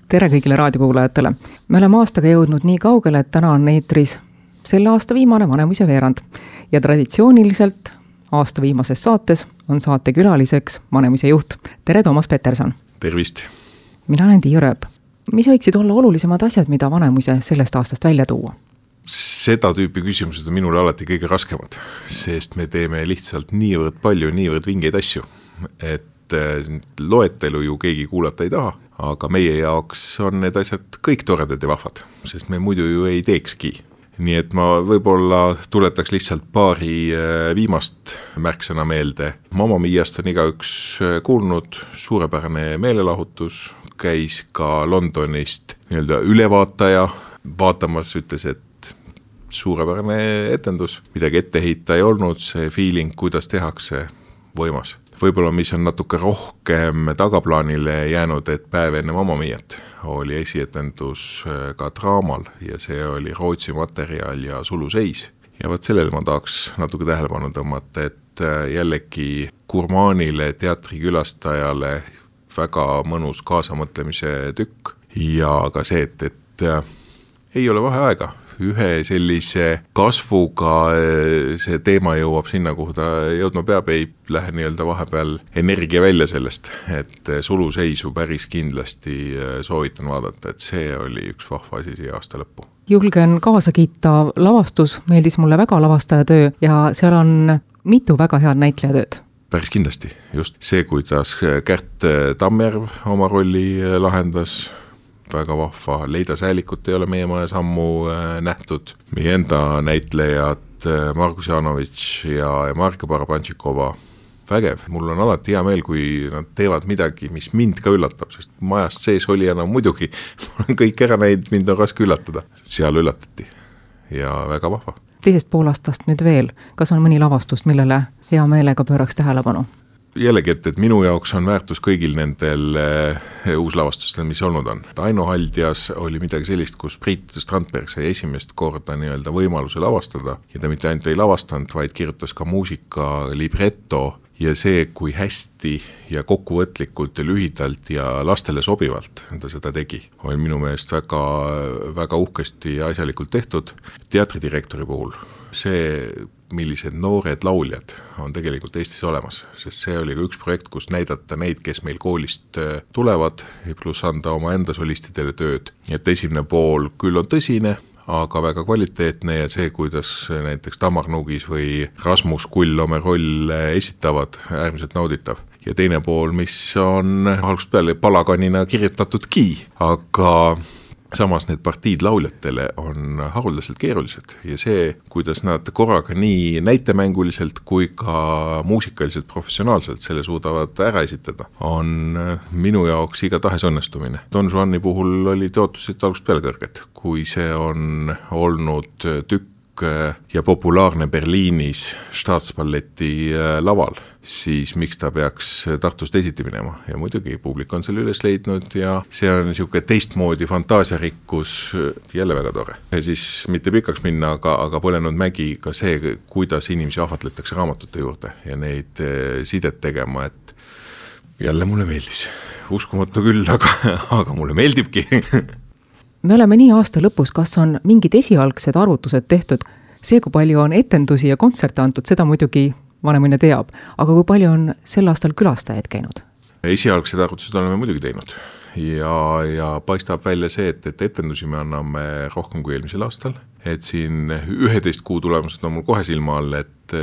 Tere kõigile raadiokuulajatele. Me oleme aastaga jõudnud nii kaugele, et täna on eetris selle aasta viimane Vanemuise veerand. Ja traditsiooniliselt aasta viimases saates on saate külaliseks Vanemuise juht. Tere, Toomas Peterson. Tervist. Mina olen Tiia Rööp. Mis võiksid olla olulisemad asjad, mida Vanemuise sellest aastast välja tuua? Seda tüüpi küsimused on minule alati kõige raskemad, sest me teeme lihtsalt niivõrd palju, niivõrd vingeid asju, et loetelu ju keegi kuulata ei taha, aga meie jaoks on need asjad kõik toredad ja vahvad, sest me muidu ju ei teekski. Nii et ma võib-olla tuletaks lihtsalt paari viimast märksõna meelde. Mamma Miast on igaüks kuulnud, suurepärane meelelahutus, käis ka Londonist nii-öelda ülevaataja vaatamas, ütles, et suurepärane etendus, midagi ette heita ei olnud, see feeling, kuidas tehakse, võimas. Võib-olla mis on natuke rohkem tagaplaanile jäänud, et päev enne Mamma Miat oli esietendus ka draamal ja see oli Rootsi materjal ja suluseis. Ja võt sellele ma tahaks natuke tähelepanu tõmmata, et jällegi gurmaanile, teatrikülastajale väga mõnus kaasamõtlemise tükk ja ka see, et ei ole vaheaega. Ühe sellise kasvuga see teema jõuab sinna, kuhu ta jõudma peab, ei lähe nii-öelda vahepeal energia välja sellest, et suluseisu päris kindlasti soovitan vaadata, et see oli üks vahva asi siia aasta lõppu. Julgen kaasa kiita lavastus, meeldis mulle väga lavastaja töö ja seal on mitu väga head näitlejatööd. Päris kindlasti, just see, kuidas Kärt Tammjärv oma rolli lahendas, väga vahva, Leida Säälikut ei ole meie majas ammu nähtud, meie enda näitlejad Margus Janovitš ja Marika Barabantšikova, vägev. Mul on alati hea meel, kui nad teevad midagi, mis mind ka üllatab, sest majast sees oli enam muidugi, ma olen kõik ära näinud, mind on raske üllatada. Seal üllatati ja väga vahva. Teisest poolastast nüüd veel, kas on mõni lavastust, millele hea meelega pööraks tähelepanu? Jällegi, et minu jaoks on väärtus kõigil nendel uuslavastustel, mis olnud on. Aino Haldjas oli midagi sellist, kus Priit Strandberg sai esimest korda nii-öelda võimaluse lavastada ja ta mitte ainult ei lavastanud, vaid kirjutas ka muusika libretto ja see, kui hästi ja kokkuvõtlikult ja lühidalt ja lastele sobivalt ta seda tegi, oli minu meelest väga, väga uhkesti ja asjalikult tehtud. Teatridirektori puhul see, millised noored lauljad on tegelikult Eestis olemas, sest see oli ka üks projekt, kus näidata neid, kes meil koolist tulevad, pluss anda oma enda solistidele tööd. Et esimene pool küll on tõsine, aga väga kvaliteetne ja see, kuidas näiteks Tamar Nugis või Rasmus Kull oma roll esitavad, äärmiselt nauditav. Ja teine pool, mis on algusest peale palaganina kirjutatudki, aga samas need partiid lauljatele on haruldaselt keerulised ja see, kuidas nad korraga nii näitemänguliselt kui ka muusikaliselt professionaalselt selle suudavad ära esitada, on minu jaoks igatahes õnnestumine. Don Juani puhul oli ootused algusest peale kõrged, kui see on olnud tükk ja populaarne Berliinis Staatsballeti laval, siis miks ta peaks Tartust esiti minema. Ja muidugi publik on selle üles leidnud ja see on niisugune teistmoodi fantaasiarikkus, jälle väga tore. Ja siis mitte pikaks minna, aga Põlenud mägi ka see, kuidas inimesi ahvatletakse raamatute juurde ja neid sidet tegema, et jälle mulle meeldis. Uskumatu küll, aga mulle meeldibki. Me oleme nii aasta lõpus, kas on mingid esialgsed arvutused tehtud? See, kui palju on etendusi ja kontserte antud, seda muidugi Vanemuine teab, aga kui palju on sel aastal külastajaid käinud? Esialgsed arvutused oleme muidugi teinud ja paistab välja see, et etendusi me anname rohkem kui eelmisel aastal, et siin 11 kuu tulemused on mul kohe silma all, et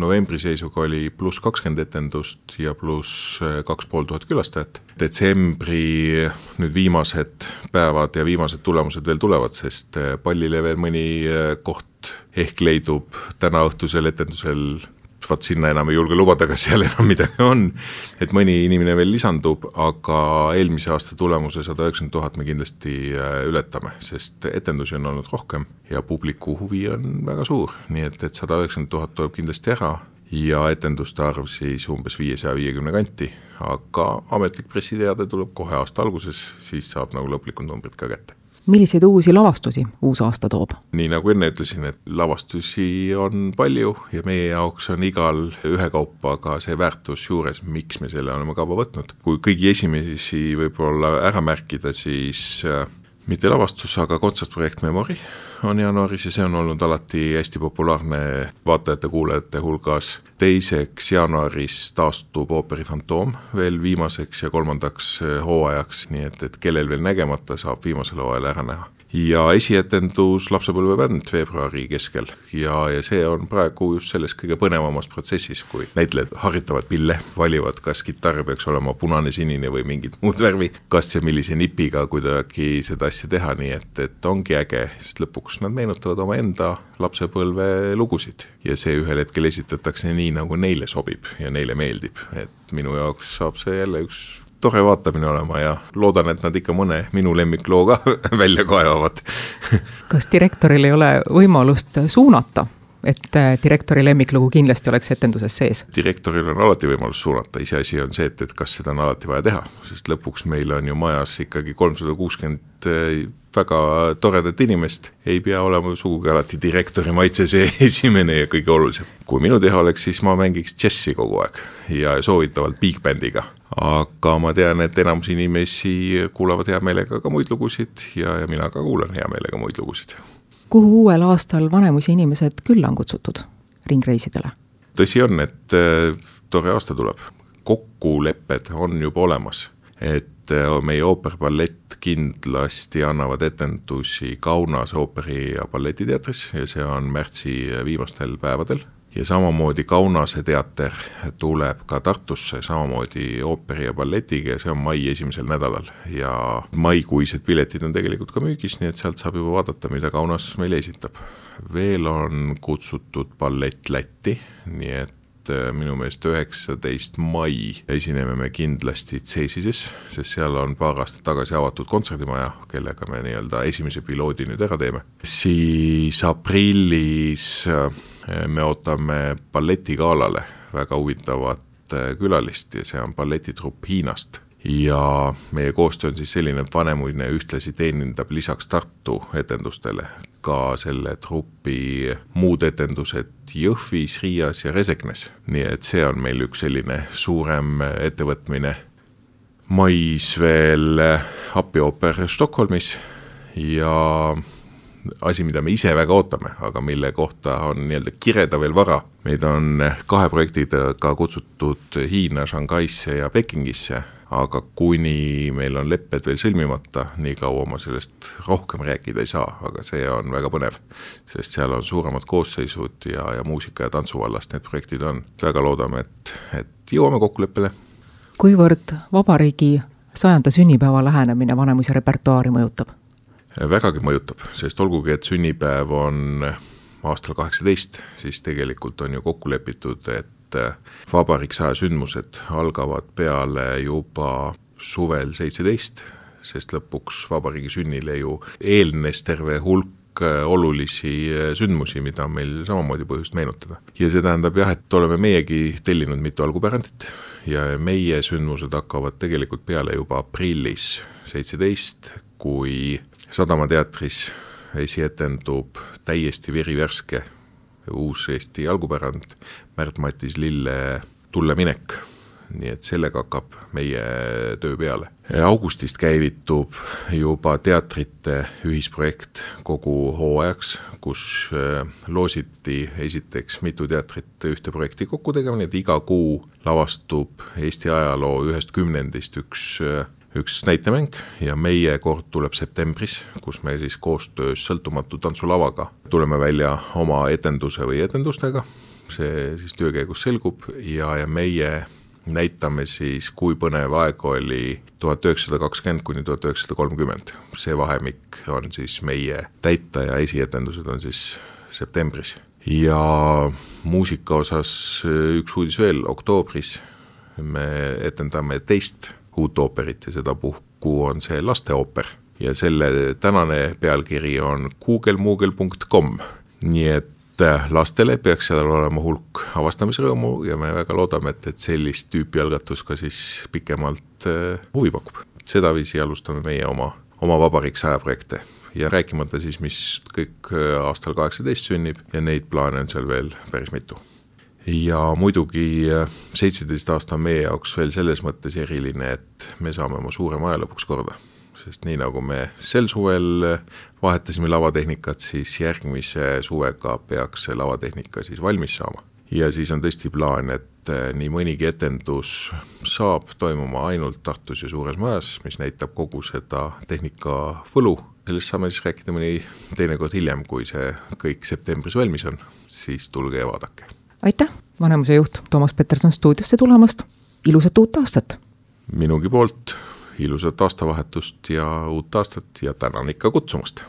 novembri seisuga oli pluss 20 etendust ja pluss 2500 külastajat. Detsembri nüüd viimased päevad ja viimased tulemused veel tulevad, sest pallile veel mõni koht ehk leidub täna õhtusel etendusel, vaat sinna enam ei julge lubada, kas seal enam midagi on, et mõni inimene veel lisandub, aga eelmise aasta tulemuse 190 000 me kindlasti ületame, sest etendusi on olnud rohkem ja publiku huvi on väga suur, nii et 190 000 tuleb kindlasti ära ja etenduste arv siis umbes 550 kanti, aga ametlik pressiteade tuleb kohe aasta alguses, siis saab nagu lõplikud numbrid ka kätte. Milliseid uusi lavastusi uus aasta toob? Nii nagu enne ütlesin, et lavastusi on palju ja meie jaoks on igal ühekaupa ka see väärtus juures, miks me selle oleme kava võtnud. Kui kõigi esimesi võib-olla ära märkida, siis mitte lavastus, aga kontsertprojekt Memory on jaanuaris ja see on olnud alati hästi populaarne vaatajate-kuulajate hulgas. Teiseks jaanuaris taastub ooperi Fantoom veel viimaseks ja kolmandaks hooajaks, nii et kellel veel nägemata saab viimasel hooajal ära näha. Ja esietendus Lapsepõlvebänd veebruari keskel ja see on praegu just selles kõige põnevamas protsessis, kui näitlejad harjutavad pille, valivad, kas kitarr peaks olema punane, sinine või mingit muud värvi, kas ja millise nipiga kuidagi seda asja teha, nii et ongi äge, sest lõpuks nad meenutavad oma enda lapsepõlve lugusid ja see ühel hetkel esitatakse nii, nagu neile sobib ja neile meeldib, et minu jaoks saab see jälle üks tore vaatamine olema ja loodan, et nad ikka mõne minu lemmikloo ka välja kaevavad. Kas direktoril ei ole võimalust suunata, et direktori lemmiklugu kindlasti oleks etenduses sees? Direktoril on alati võimalus suunata, iseasi on see, et kas seda on alati vaja teha, sest lõpuks meil on ju majas ikkagi 360 väga toredat inimest, ei pea olema sugugi alati direktori maitse see esimene ja kõige olulisem. Kui minu teha oleks, siis ma mängiks džessi kogu aeg ja soovitavalt big bandiga. Aga ma tean, et enamus inimesi kuulavad hea meelega ka muid lugusid ja mina ka kuulan hea meelega muid lugusid. Kuhu uuel aastal Vanemuise inimesed küll on kutsutud ringreisidele? Tõsi on, et tore aasta tuleb. Kokkulepped on juba olemas, et meie ooperpallett kindlasti annavad etendusi Kaunas ooperi- ja balletiteatris ja see on märtsi viimastel päevadel. Ja samamoodi Kaunase teater tuleb ka Tartusse, samamoodi ooperi ja balletiga ja see on mai esimesel nädalal. Ja maikuised piletid on tegelikult ka müügis, nii et sealt saab juba vaadata, mida Kaunas meile esitab. Veel on kutsutud ballett Lätti, nii et minu meelest 19. mai esineme me kindlasti Ceesises, sest seal on paar aastat tagasi avatud kontserdimaja, kellega me nii-öelda esimese piloodi nüüd ära teeme. Siis aprillis me ootame balletigaalale väga huvitavat külalist ja see on balletitrupp Hiinast. Ja meie koostöö on siis selline, et Vanemuine ühtlasi teenindab lisaks Tartu etendustele ka selle trupi muud etendused Jõhvis, Riias ja Reseknes. Nii et see on meil üks selline suurem ettevõtmine. Mais veel Appioper Stockholmis ja asi, mida me ise väga ootame, aga mille kohta on nii-öelda kireda veel vara. Meid on 2 projektidega kutsutud Hiina, Shanghaisse ja Pekingisse, aga kuni meil on lepped veel sõlmimata, nii kaua ma sellest rohkem rääkida ei saa, aga see on väga põnev, sest seal on suuremad koosseisud ja muusika ja tantsuvallast need projektid on. Väga loodame, et jõuame kokkuleppele. Kuivõrd vabariigi 100. sünnipäeva lähenemine Vanemuise repertuaari mõjutab? Vägagi mõjutab, sest olgugi, et sünnipäev on aastal 18, siis tegelikult on ju kokku lepitud, et vabariik 100 sündmused algavad peale juba suvel 17, sest lõpuks vabariigi sünnile ju eelnes terve hulk olulisi sündmusi, mida on meil samamoodi põhjust meenutada. Ja see tähendab jah, et oleme meiegi tellinud mitu algupärandit ja meie sündmused hakkavad tegelikult peale juba aprillis 17, kui Sadamateatris esietendub täiesti verivärske uus Eesti algupärand Märt-Matis Lille Tulle minek, nii et sellega hakkab meie töö peale. Augustist käivitub juba teatrite ühisprojekt kogu hooajaks, kus loositi esiteks mitu teatrit ühte projekti kokku tegema, nii et iga kuu lavastub Eesti ajaloo 1 kümnendist üks näitemäng ja meie kord tuleb septembris, kus me siis koostöös Sõltumatu tantsulavaga tuleme välja oma etenduse või etendustega. See siis töökäigus selgub ja meie näitame siis, kui põnev aeg oli 1920 kuni 1930. See vahemik on siis meie täita ja esietendused on siis septembris. Ja muusika osas üks uudis veel, oktoobris me etendame teist uut ooperit ja seda puhku on see lasteooper ja selle tänane pealkiri on googlemoogel.com, nii et lastele peaks seal olema hulk avastamisrõõmu ja me väga loodame, et sellist tüüpi algatus ka siis pikemalt huvi pakub. Sedaviisi alustame meie oma vabariik 100 projekte. ja rääkimata siis, mis kõik aastal 18 sünnib ja neid plaane on seal veel päris mitu. Ja muidugi 17 aasta on meie jaoks veel selles mõttes eriline, et me saame oma suure maja lõpuks korda. Sest nii nagu me sel suvel vahetasime lavatehnikat, siis järgmise suvega peaks see lavatehnika siis valmis saama. Ja siis on tõesti plaan, et nii mõnigi etendus saab toimuma ainult Tartus ja suures majas, mis näitab kogu seda tehnika võlu. Sellest saame siis rääkida mõni teinekord hiljem, kui see kõik septembris valmis on, siis tulge ja vaadake. Aitäh, Vanemuise juht Toomas Peterson stuudiosse tulemast. Ilusat uut aastat! Minugi poolt ilusat aastavahetust ja uut aastat ja tänan ikka kutsumast!